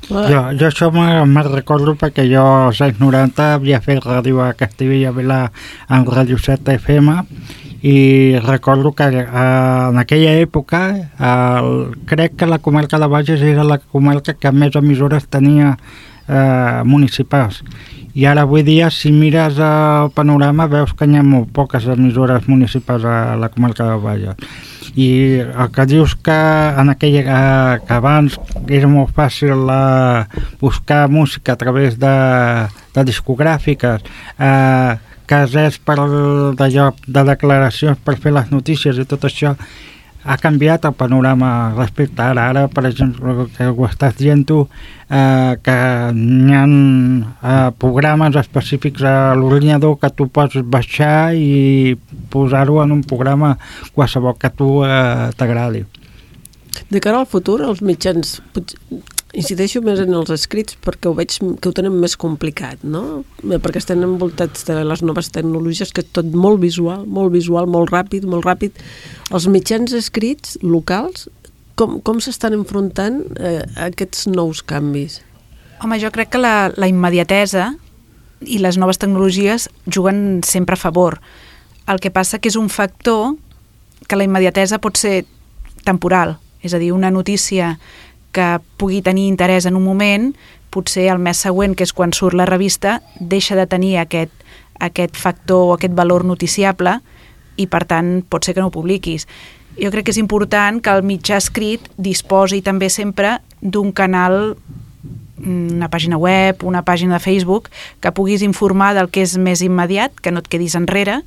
Jo, jo això me'n recordo perquè jo als anys noranta havia fet ràdio a Castellbell i Vilar en Ràdio set F M i recordo que eh, en aquella època eh, crec que la comarca de Bages era la comarca que més emissores tenia eh, municipals i ara avui dia si mires el panorama veus que hi ha molt poques emissores municipals a la comarca de Bages i el que dius que en aquella eh, que abans era molt fàcil eh, buscar música a través de, de discogràfiques eh, que res per d'allò de declaracions per fer les notícies i tot això ha canviat el panorama respecte a ara. Ara, per exemple, que ho estàs dient tu, eh, que hi ha eh, programes específics a l'ordinador que tu pots baixar i posar-ho en un programa qualsevol que a tu eh, t'agradi. De cara al futur, els mitjans... Incideixo més en els escrits perquè ho veig que ho tenen més complicat, no? Perquè estan envoltats de les noves tecnologies, que és tot molt visual, molt visual, molt ràpid, molt ràpid. Els mitjans escrits locals, com, com s'estan enfrontant eh, a aquests nous canvis? Home, jo crec que la, la immediatesa i les noves tecnologies juguen sempre a favor. El que passa que és un factor que la immediatesa pot ser temporal, és a dir, una notícia que pugui tenir interès en un moment, potser el mes següent, que és quan surt la revista, deixa de tenir aquest, aquest factor o aquest valor noticiable i, per tant, pot ser que no ho publiquis. Jo crec que és important que el mitjà escrit disposi també sempre d'un canal, una pàgina web, una pàgina de Facebook, que puguis informar del que és més immediat, que no et quedis enrere,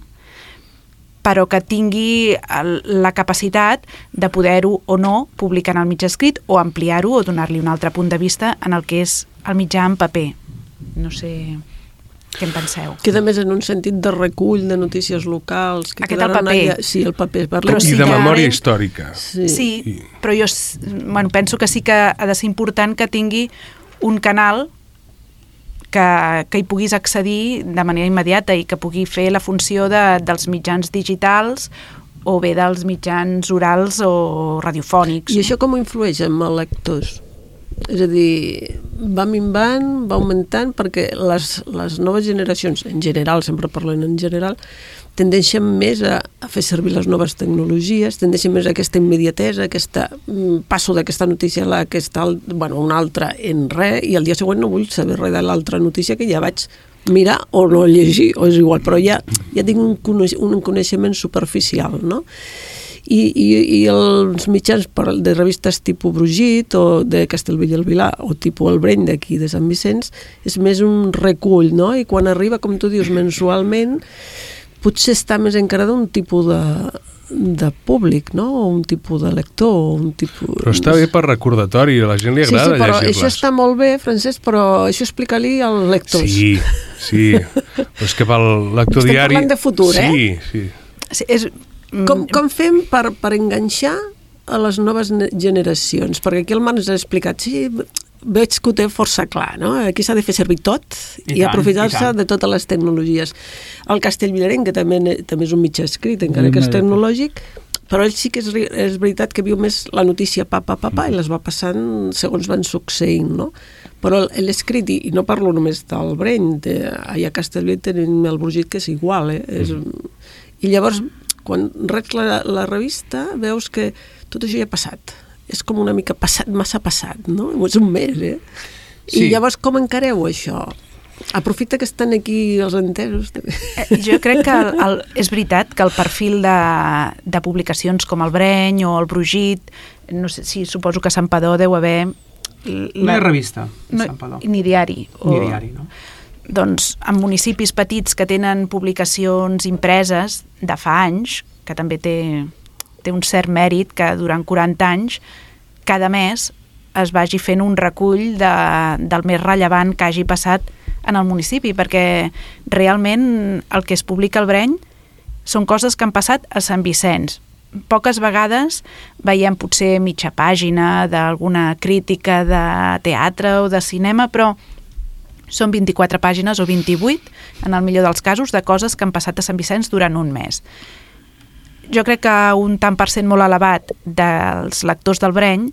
però que tingui el, la capacitat de poder-ho o no publicar en el mitjà escrit o ampliar-ho o donar-li un altre punt de vista en el que és el mitjà en paper. No sé què en penseu. Queda més en un sentit de recull de notícies locals. Que Aquest el paper. Allà, sí, el paper. Però I sí de memòria històrica. Sí, sí I... però jo bueno, penso que sí que ha de ser important que tingui un canal que, que hi puguis accedir de manera immediata i que pugui fer la funció de, dels mitjans digitals o bé dels mitjans orals o radiofònics. I això com influeix en els lectors? És a dir, va minvant, va augmentant, perquè les, les noves generacions, en general, sempre parlen en general, tendeixen més a, a fer servir les noves tecnologies, tendeixen més a aquesta immediatesa, aquesta, passo d'aquesta notícia a aquesta, bueno, una altra en res, i el dia següent no vull saber res de l'altra notícia que ja vaig mirar o no llegir, o és igual, però ja, ja tinc un, coneix, un coneixement superficial, no? I, i, i els mitjans de revistes tipus Brugit o de Castellbell i el Vilar o tipus El Breny d'aquí de Sant Vicenç és més un recull, no? I quan arriba, com tu dius, mensualment, potser està més encara d'un tipus de, de públic, no? O un tipus de lector, o un tipus... Però està bé per recordatori, a la gent li agrada llegir-les. Sí, sí, però llegir-les. això està molt bé, Francesc, però això explica-li als lectors. Sí, sí, però és que pel lector Estem diari... parlant de futur, sí, eh? Sí, Sí, és... Com, com fem per, per enganxar a les noves generacions? Perquè aquí el Marc ens ha explicat, sí, veig que ho té força clar, no? Aquí s'ha de fer servir tot i, i aprofitar-se de totes les tecnologies. El Castellvilarenc, que també, també és un mitjà escrit, encara que és tecnològic, però ell sí que és, és veritat que viu més la notícia pa, pa, pa, pa, i les va passant segons van succeint, no? Però l'escrit, i, i no parlo només del Breny, de, allà a Castellvell tenim el Brugit, que és igual, eh? És, i llavors, quan reps la, la revista, veus que tot això ja ha passat. És com una mica passat, massa passat, no? És un mes, eh? Sí. I llavors com encareu això? Aprofita que estan aquí els entesos. Eh, jo crec que el, el, és veritat que el perfil de, de publicacions com el Breny o el Brugit, no sé si suposo que a Santpedor deu haver... La... No hi ha revista, no, Santpedor. Ni diari. O... Ni diari, no? Doncs en municipis petits que tenen publicacions impreses de fa anys, que també té, té un cert mèrit que durant quaranta anys cada mes es vagi fent un recull de, del més rellevant que hagi passat en el municipi, perquè realment el que es publica al Breny són coses que han passat a Sant Vicenç. Poques vegades veiem potser mitja pàgina d'alguna crítica de teatre o de cinema, però són vint-i-quatre pàgines o vint-i-vuit, en el millor dels casos, de coses que han passat a Sant Vicenç durant un mes. Jo crec que un tant per cent molt elevat dels lectors del Breny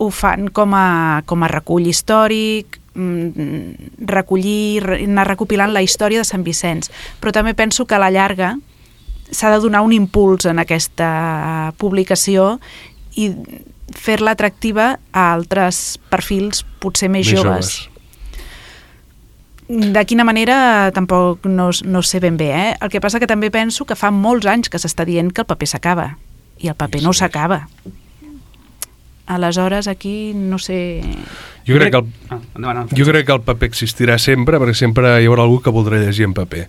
ho fan com a, com a recull històric, recollir, anar recopilant la història de Sant Vicenç. Però també penso que a la llarga s'ha de donar un impuls en aquesta publicació i fer-la atractiva a altres perfils potser més, més joves. joves. De quina manera tampoc no, no sé ben bé, eh? El que passa que també penso que fa molts anys que s'està dient que el paper s'acaba i el paper sí, no s'acaba. Aleshores aquí no sé... Jo crec, que el, ah, endavant, jo crec que el paper existirà sempre, perquè sempre hi haurà algú que voldrà llegir en paper.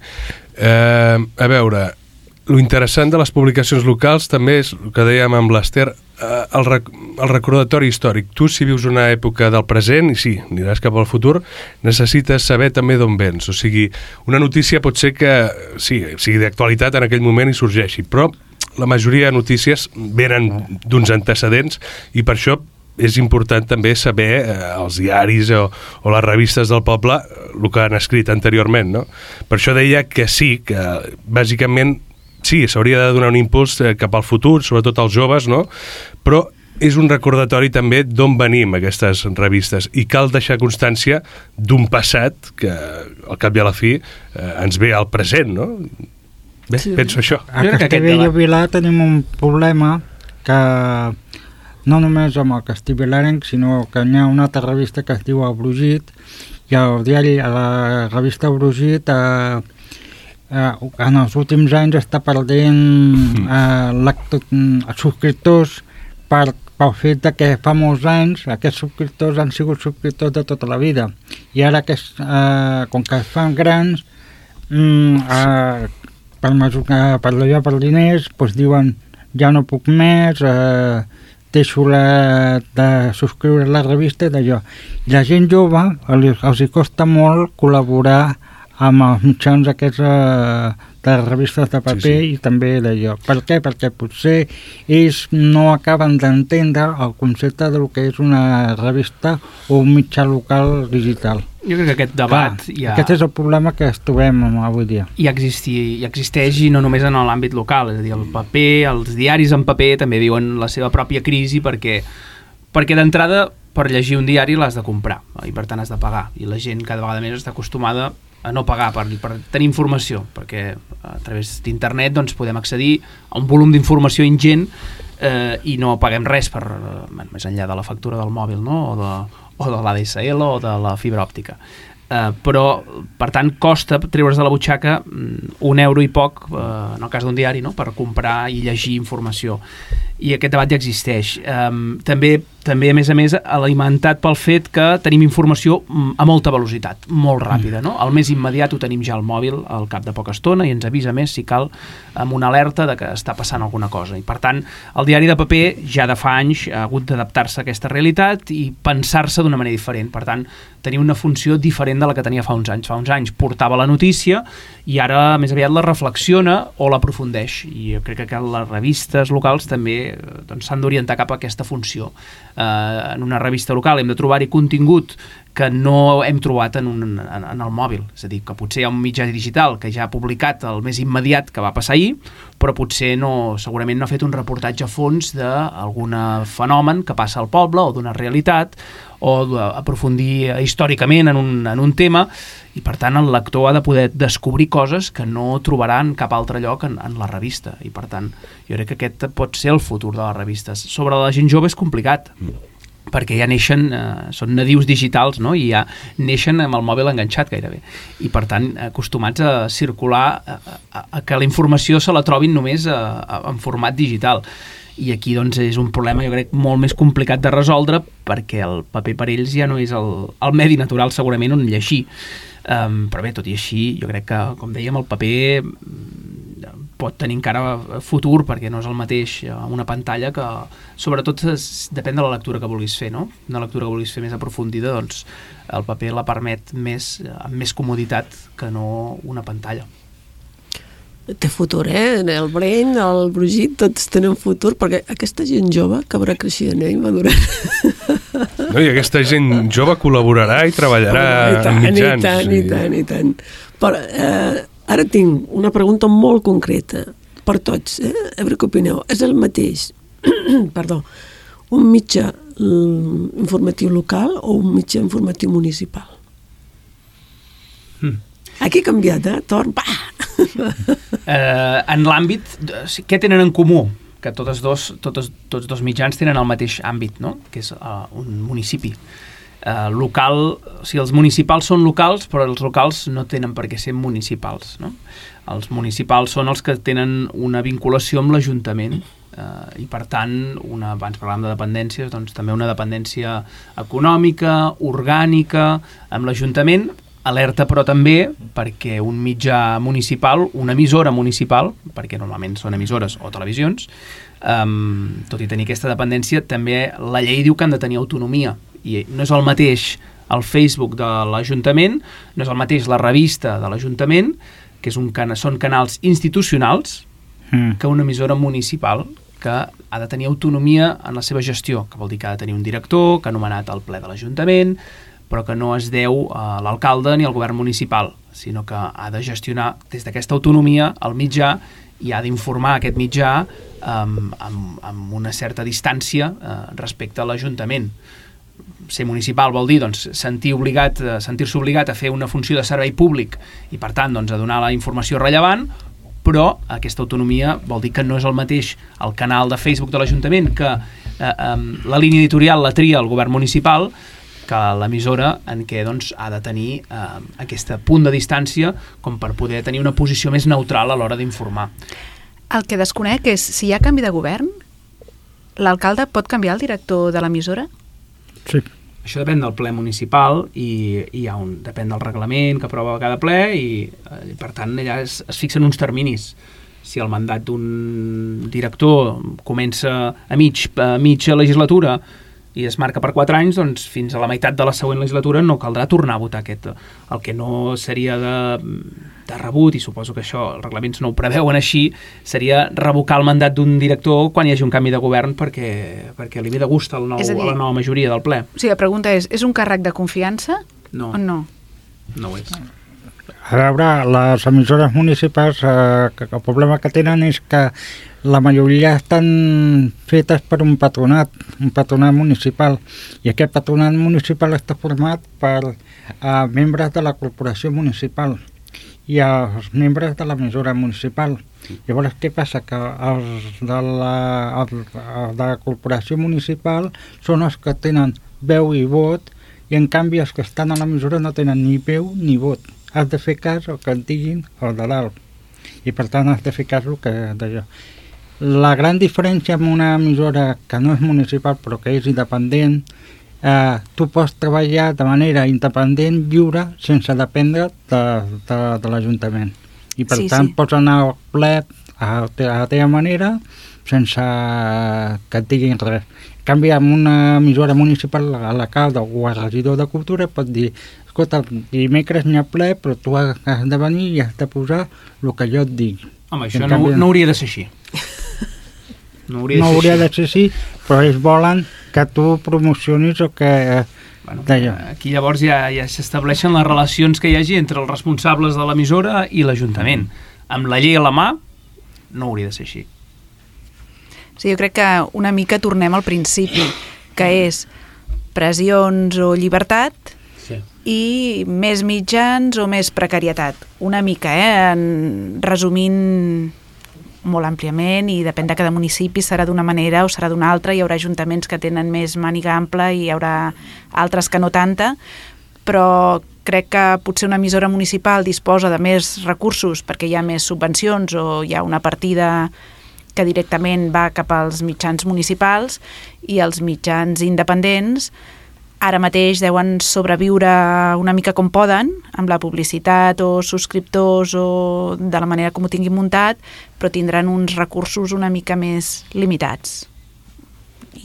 Eh, a veure, lo interessant de les publicacions locals també és el que dèiem amb l'Ester, eh, el, rec el recordatori històric. Tu, si vius una època del present, i sí, aniràs cap al futur, necessites saber també d'on vens. O sigui, una notícia pot ser que sí, sigui d'actualitat en aquell moment i sorgeixi, però la majoria de notícies venen d'uns antecedents i per això és important també saber eh, els diaris o, o les revistes del poble el que han escrit anteriorment, no? Per això deia que sí, que bàsicament sí, s'hauria de donar un impuls cap al futur, sobretot als joves, no? Però és un recordatori també d'on venim aquestes revistes i cal deixar constància d'un passat que al cap i a la fi eh, ens ve al present, no? Bé, sí. Penso això. A Castellbell i Vilar tenim un problema que no només amb el Castellbellenc, sinó que hi ha una altra revista que es diu El Brugit, i el diari, a la revista El Brugit, eh, eh, en els últims anys està perdent eh, els subscriptors per, pel fet de que fa molts anys aquests subscriptors han sigut subscriptors de tota la vida, i ara que es, eh, com que es fan grans, mm, eh, per, per allò, per diners, doncs diuen ja no puc més, eh, deixo la, de subscriure la revista i d'allò. I la gent jove els, els hi costa molt col·laborar amb els mitjans aquests eh, de revistes de paper, sí, sí. I també d'allò. Per què? Perquè potser ells no acaben d'entendre el concepte del que és una revista o un mitjà local digital. Jo crec que aquest debat... Clar, ja... Aquest és el problema que es trobem avui dia. I existi, i existeix i no només en l'àmbit local, és a dir, el paper, els diaris en paper també viuen la seva pròpia crisi perquè, perquè d'entrada per llegir un diari l'has de comprar i per tant has de pagar, i la gent cada vegada més està acostumada a no pagar per, per tenir informació, perquè a través d'internet doncs, podem accedir a un volum d'informació ingent eh, i no paguem res per, eh, més enllà de la factura del mòbil, no? o de, o de l'A D S L o de la fibra òptica. Uh, però, per tant, costa treure's de la butxaca um, un euro i poc, uh, en el cas d'un diari, no? Per comprar i llegir informació. I aquest debat ja existeix. Um, també, també, a més a més, alimentat pel fet que tenim informació a molta velocitat, molt ràpida, no? El més immediat ho tenim ja al mòbil al cap de poca estona i ens avisa més, si cal, amb una alerta de que està passant alguna cosa. I, per tant, el diari de paper ja de fa anys ha hagut d'adaptar-se a aquesta realitat i pensar-se d'una manera diferent. Per tant, tenia una funció diferent de la que tenia fa uns anys. Fa uns anys portava la notícia i ara més aviat la reflexiona o l'aprofundeix. I jo crec que les revistes locals també doncs, s'han d'orientar cap a aquesta funció. Eh, en una revista local hem de trobar-hi contingut que no hem trobat en, un, en, en el mòbil. És a dir, que potser hi ha un mitjà digital que ja ha publicat el més immediat que va passar ahir, però potser no, segurament no ha fet un reportatge a fons d'algun fenomen que passa al poble o d'una realitat, o aprofundir històricament en un, en un tema, i per tant el lector ha de poder descobrir coses que no trobarà en cap altre lloc en, en la revista, i per tant jo crec que aquest pot ser el futur de les revistes. Sobre la gent jove és complicat, perquè ja neixen, eh, són nadius digitals, no? I ja neixen amb el mòbil enganxat gairebé, i per tant acostumats a circular, a, a, a que la informació se la trobin només a, a, en format digital. I aquí doncs és un problema, jo crec, molt més complicat de resoldre, perquè el paper per ells ja no és el, el medi natural segurament on llegir. Um, però bé, tot i així, jo crec que, com dèiem, el paper pot tenir encara futur, perquè no és el mateix una pantalla que, sobretot, depèn de la lectura que vulguis fer, no? Una lectura que vulguis fer més aprofundida, doncs el paper la permet més, amb més comoditat que no una pantalla. Té futur, eh? El Breny, el Brugit, tots tenen futur, perquè aquesta gent jove acabarà creixent, eh? I madurant. No, i aquesta gent jove col·laborarà i treballarà i tant, en mitjans. I tant, i tant, i tant. Però eh, ara tinc una pregunta molt concreta per tots, eh? A veure què opineu. És el mateix, perdó, un mitjà informatiu local o un mitjà informatiu municipal? Mm. Aquí ha canviat, eh? Torn, pa! eh, en l'àmbit, què tenen en comú? Que totes dos, totes, tots dos mitjans tenen el mateix àmbit, no? Que és uh, un municipi. Uh, local, o sigui, els municipals són locals, però els locals no tenen per què ser municipals, no? Els municipals són els que tenen una vinculació amb l'Ajuntament, uh, i per tant, una, abans parlàvem de dependències, doncs també una dependència econòmica, orgànica, amb l'Ajuntament, alerta però també perquè un mitjà municipal, una emissora municipal, perquè normalment són emissores o televisions, um, tot i tenir aquesta dependència, també la llei diu que han de tenir autonomia, i no és el mateix el Facebook de l'Ajuntament, no és el mateix la revista de l'Ajuntament, que és un cana, són canals institucionals, mm. que una emissora municipal que ha de tenir autonomia en la seva gestió, que vol dir que ha de tenir un director, que ha nomenat el ple de l'Ajuntament, però que no es deu a l'alcalde ni al govern municipal, sinó que ha de gestionar des d'aquesta autonomia el mitjà i ha d'informar aquest mitjà um, amb, amb una certa distància uh, respecte a l'Ajuntament. Ser municipal vol dir doncs, sentir obligat, sentir-se obligat a fer una funció de servei públic i per tant doncs, a donar la informació rellevant, però aquesta autonomia vol dir que no és el mateix el canal de Facebook de l'Ajuntament, que eh, eh, la línia editorial la tria el govern municipal, que l'emissora en què doncs, ha de tenir eh, aquest punt de distància com per poder tenir una posició més neutral a l'hora d'informar. El que desconec és si hi ha canvi de govern, l'alcalde pot canviar el director de l'emissora? Sí. Això depèn del ple municipal i, i hi ha un, depèn del reglament que aprova cada ple i, i per tant allà es, es fixen uns terminis. Si el mandat d'un director comença a mig, a mitja legislatura i es marca per quatre anys, doncs fins a la meitat de la següent legislatura no caldrà tornar a votar aquest. El que no seria de, de rebut, i suposo que això els reglaments no ho preveuen així, seria revocar el mandat d'un director quan hi hagi un canvi de govern perquè, perquè li ve de gust al nou, dir, a la nova majoria del ple. O sigui, la pregunta és, és un càrrec de confiança No. o no? No ho és. A veure, les emissores municipals, eh, que el problema que tenen és que la majoria estan fetes per un patronat, un patronat municipal, i aquest patronat municipal està format per eh, membres de la corporació municipal i els membres de l'emissora municipal. Llavors, què passa? Que els de la, els, els de la corporació municipal són els que tenen veu i vot, i en canvi els que estan a l'emissora no tenen ni veu ni vot. Has de fer cas el que et diguin el de dalt, i per tant has de fer cas el que d'allò. La gran diferència amb una emissora que no és municipal però que és independent, eh, tu pots treballar de manera independent, lliure, sense dependre de, de, de l'Ajuntament. I per Sí, tant sí. pots anar al ple a, a la teva manera sense que et diguin res. En canvi, amb una emissora municipal, l'alcalde o el regidor de Cultura pot dir: escolta, dimecres n'hi ha ple, però tu has de venir i has de posar el que jo et digui. Home, això no, no hauria de ser així. No hauria, No de, ser hauria així. de ser així, però ells volen que tu promocionis o que... Bueno, d'allò. aquí llavors ja, ja s'estableixen les relacions que hi hagi entre els responsables de l'emissora i l'Ajuntament. Amb la llei a la mà no hauria de ser així. Sí, jo crec que una mica tornem al principi, que és pressions o llibertat Sí. i més mitjans o més precarietat. Una mica, eh? En, resumint molt àmpliament, i depèn de cada municipi, serà d'una manera o serà d'una altra. Hi haurà ajuntaments que tenen més màniga ampla i hi haurà altres que no tanta, però crec que potser una emissora municipal disposa de més recursos perquè hi ha més subvencions o hi ha una partida que directament va cap als mitjans municipals, i els mitjans independents ara mateix deuen sobreviure una mica com poden, amb la publicitat o subscriptors o de la manera com ho tinguin muntat, però tindran uns recursos una mica més limitats.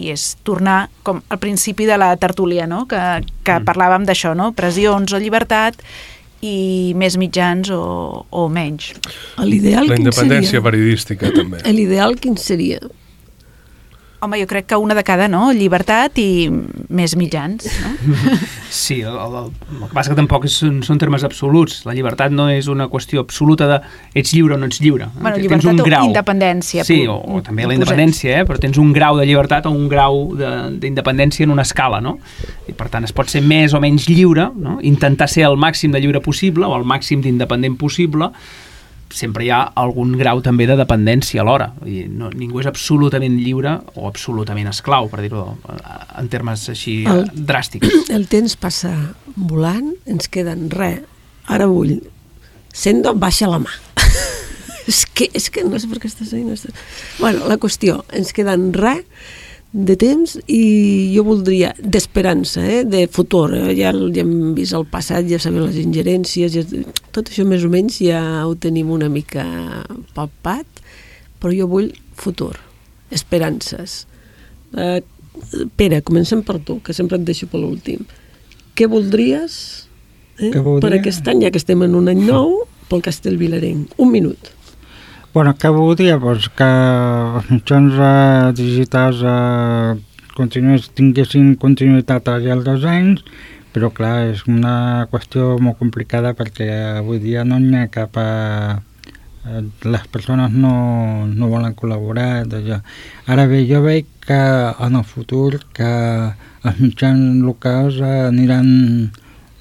I és tornar com al principi de la tertúlia, no? que, que mm. parlàvem d'això, no? Pressions o llibertat i més mitjans o, o menys. L'ideal La quin independència seria? periodística, també. L'ideal quin seria? Home, jo crec que una de cada, no? Llibertat i més mitjans, no? Sí, el, el, el que passa que tampoc són, són termes absoluts. La llibertat no és una qüestió absoluta de ets lliure o no ets lliure. Bueno, Tens llibertat un grau. o independència. Sí, pu- o, o també la posem. independència, eh? Però tens un grau de llibertat o un grau de- d'independència en una escala, no? I per tant es pot ser més o menys lliure, no? Intentar ser el màxim de lliure possible o el màxim d'independent possible. Sempre hi ha algun grau també de dependència alhora. I no, ningú és absolutament lliure o absolutament esclau, per dir-ho en termes així El- dràstics. El temps passa volant, ens queden res. Ara vull. Sendo, baixa la mà. és, que, és que no sé per què estàs ahí. No estàs... Bueno, la qüestió, ens queden res de temps, i jo voldria d'esperança, eh? De futur, eh? ja, ja hem vist el passat, ja sabem les ingerències, ja, tot això més o menys ja ho tenim una mica palpat, però jo vull futur, esperances. eh, Pere, comencem per tu, que sempre et deixo per l'últim. Què voldries, eh? Què voldria? per aquest any, ja que estem en un any nou, pel Castell Vilarenc? Un minut. Bueno, què voldria? Pues que els mitjans eh, digitals eh, continués, tinguessin continuïtat al llarg dels anys, però clar, és una qüestió molt complicada perquè avui dia no n'hi ha cap... Eh, eh, les persones no, no volen col·laborar. D'allò. Ara bé, jo veig que en el futur que els mitjans locals eh, aniran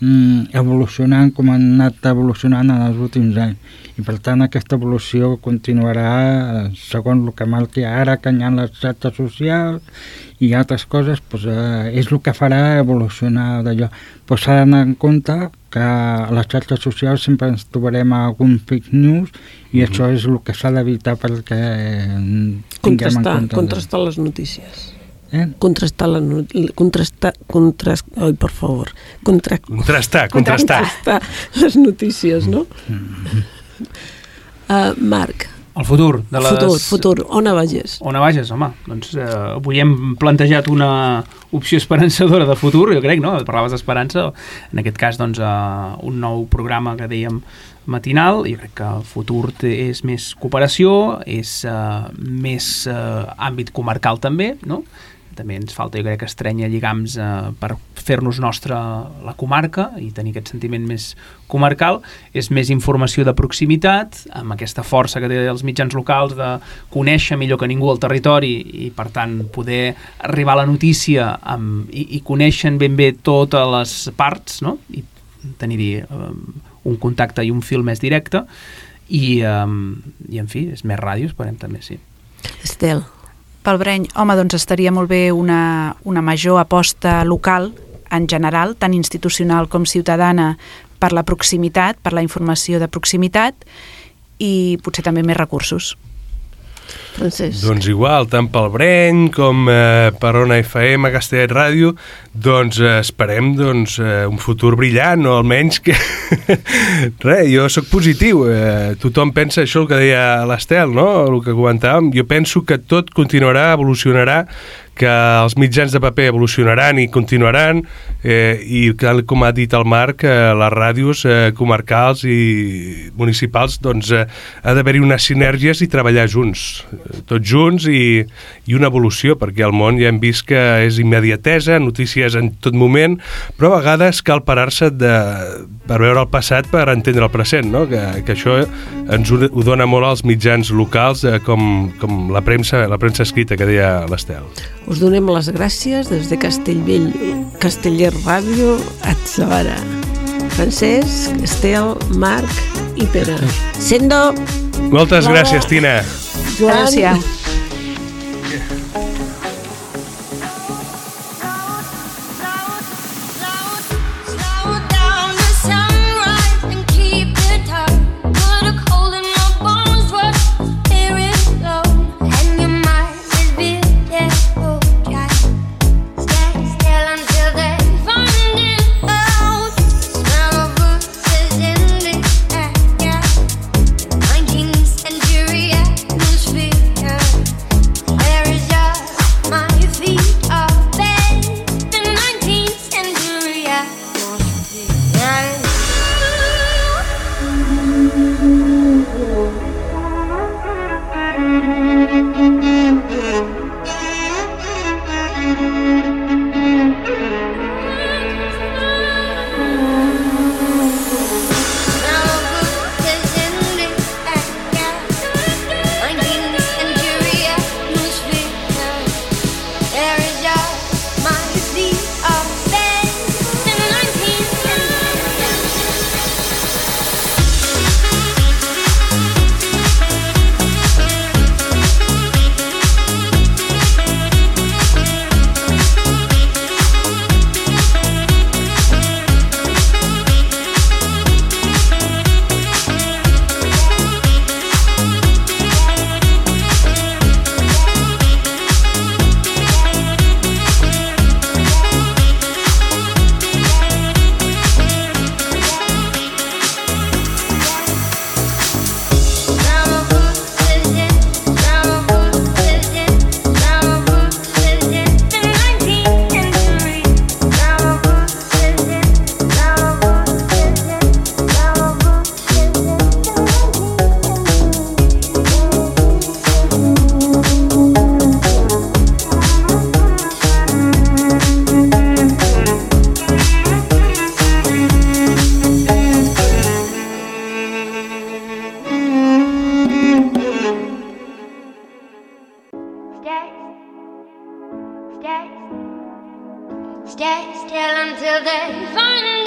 mm, evolucionant com han anat evolucionant en els últims anys. I per tant aquesta evolució continuarà segons el que marqui ara, que hi ha les xarxes socials i altres coses, doncs, eh, és el que farà evolucionar d'allò. Però s'ha d'anar en compte que a les xarxes socials sempre ens trobarem algun fake news i mm-hmm. això és el que s'ha d'evitar perquè tinguem Contrastar, en compte. contrastar les notícies. Eh? Contrastar la no- contrastar, contrast, ai, per favor, contra, Contrastar, contrastar. contrastar les notícies, no? Uh, Marc, El futur de les... futur, futur, on vages? On vages, home? Doncs eh, avui hem plantejat una opció esperançadora de futur, jo crec, no? Parlaves d'esperança, en aquest cas, doncs, eh, un nou programa que dèiem matinal, i crec que el futur té, és més cooperació, és eh, més eh, àmbit comarcal també, no? També ens falta, jo crec, estrènyer lligams eh, per fer-nos nostra la comarca i tenir aquest sentiment més comarcal. És més informació de proximitat, amb aquesta força que té els mitjans locals de conèixer millor que ningú el territori i, per tant, poder arribar a la notícia amb, i, i conèixer ben bé totes les parts, no? I tenir-hi eh, un contacte i un fil més directe i, eh, i en fi, és més ràdio, esperem també, sí. Estel. Pel Breny, home, doncs estaria molt bé una, una major aposta local en general, tant institucional com ciutadana, per la proximitat, per la informació de proximitat i potser també més recursos. Francesc. Doncs igual, tant pel Breny com eh, per Ona F M, Castellet Ràdio, doncs eh, esperem doncs, eh, un futur brillant, o almenys que... Res, jo sóc positiu, eh, tothom pensa això el que deia l'Estel, no? El que comentàvem, jo penso que tot continuarà, evolucionarà, que els mitjans de paper evolucionaran i continuaran eh, i com ha dit el Marc, eh, les ràdios eh, comarcals i municipals doncs eh, ha d'haver-hi unes sinergies i treballar junts, tots junts i, i una evolució, perquè al món ja hem vist que és immediatesa, notícies en tot moment, però a vegades cal parar-se de, per veure el passat per entendre el present, no? que, que això ens ho, ho dona molt als mitjans locals eh, com, com la premsa, la premsa escrita que deia l'Estel. Us donem les gràcies des de Castellvell, Castellet Ràdio, Atzavara. Francesc, Estel, Marc i Pere. Sendo! Moltes Bravo. gràcies, Tina. Joan. Adéu-siau. Slow down the sunrise and keep it up. Put a cold in your bones, what hear it low, and your mind is beautiful. Just stay still until they find it out. Smell of roses in the air, nineteenth century atmosphere. Stay still until they find